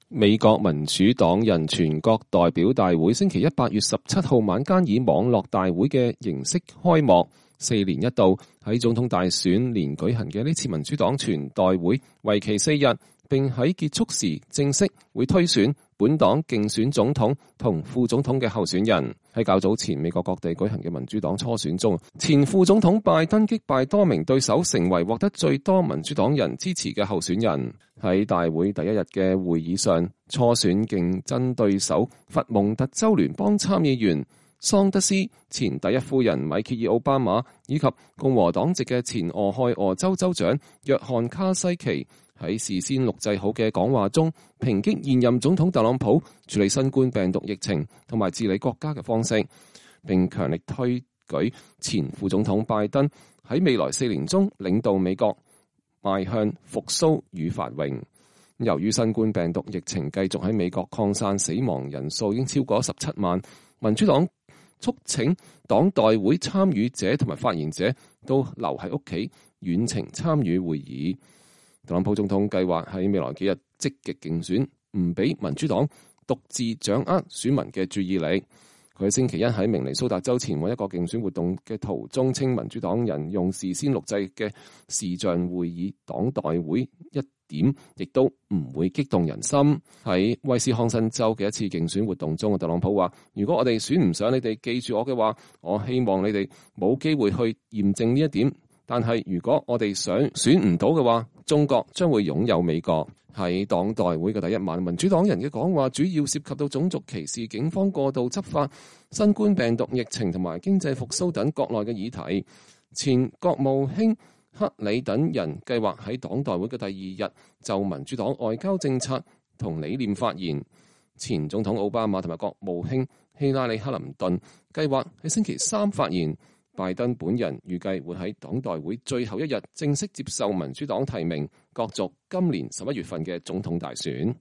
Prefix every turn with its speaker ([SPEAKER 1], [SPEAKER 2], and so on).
[SPEAKER 1] 美國民主黨人全國代表大會星期一8月17號晚間以網絡大會嘅形式開幕。4年一度喺總統大選年舉行嘅呢次民主黨全代會，為期4日，並喺結束時正式會推選本黨競選總統同副總統嘅候選人。喺較早前美國各地舉行嘅民主黨初選中，前副總統拜登擊敗多名對手，成為獲得最多民主黨人支持嘅候選人。喺大會第一日嘅會議上，初選競爭對手佛蒙特州聯邦參議員桑德斯、前第一夫人米歇爾奧巴馬以及共和黨籍嘅前俄亥俄州州長約翰卡西奇喺事先錄製好嘅講話中，抨擊現任總統特朗普處理新冠病毒疫情同埋治理國家嘅方式，並強力推舉前副總統拜登喺未來4年中領導美國邁向復甦與繁榮。由於新冠病毒疫情繼續喺美國擴散，死亡人數已經超過17萬，民主黨促請黨代會參與者同埋發言者都留喺屋企遠程參與會議。特朗普總統計劃喺未來幾日積極競選，唔俾民主黨獨自掌握選民嘅注意力。佢喺星期一喺明尼蘇達州前往一個競選活動嘅途中，稱民主黨人用事先錄製嘅視像會議黨代會一點亦都唔會激動人心。喺威斯康辛州嘅一次競選活動中，特朗普話：如果我哋選唔上你哋記住我嘅話，我希望你哋冇機會去驗證呢一點。但係如果我哋想選唔到嘅話，中國將會擁有美國。喺黨代會嘅第一晚，民主黨人嘅講話主要涉及到種族歧視、警方過度執法、新冠病毒疫情同埋經濟復甦等國內嘅議題。前國務卿克里等人計劃喺黨代會嘅第二日就民主黨外交政策同理念發言。前總統奧巴馬同埋國務卿希拉里克林頓計劃喺星期三發言。拜登本人預計會喺黨代會最後一日正式接受民主黨提名，角逐今年11月份嘅總統大選。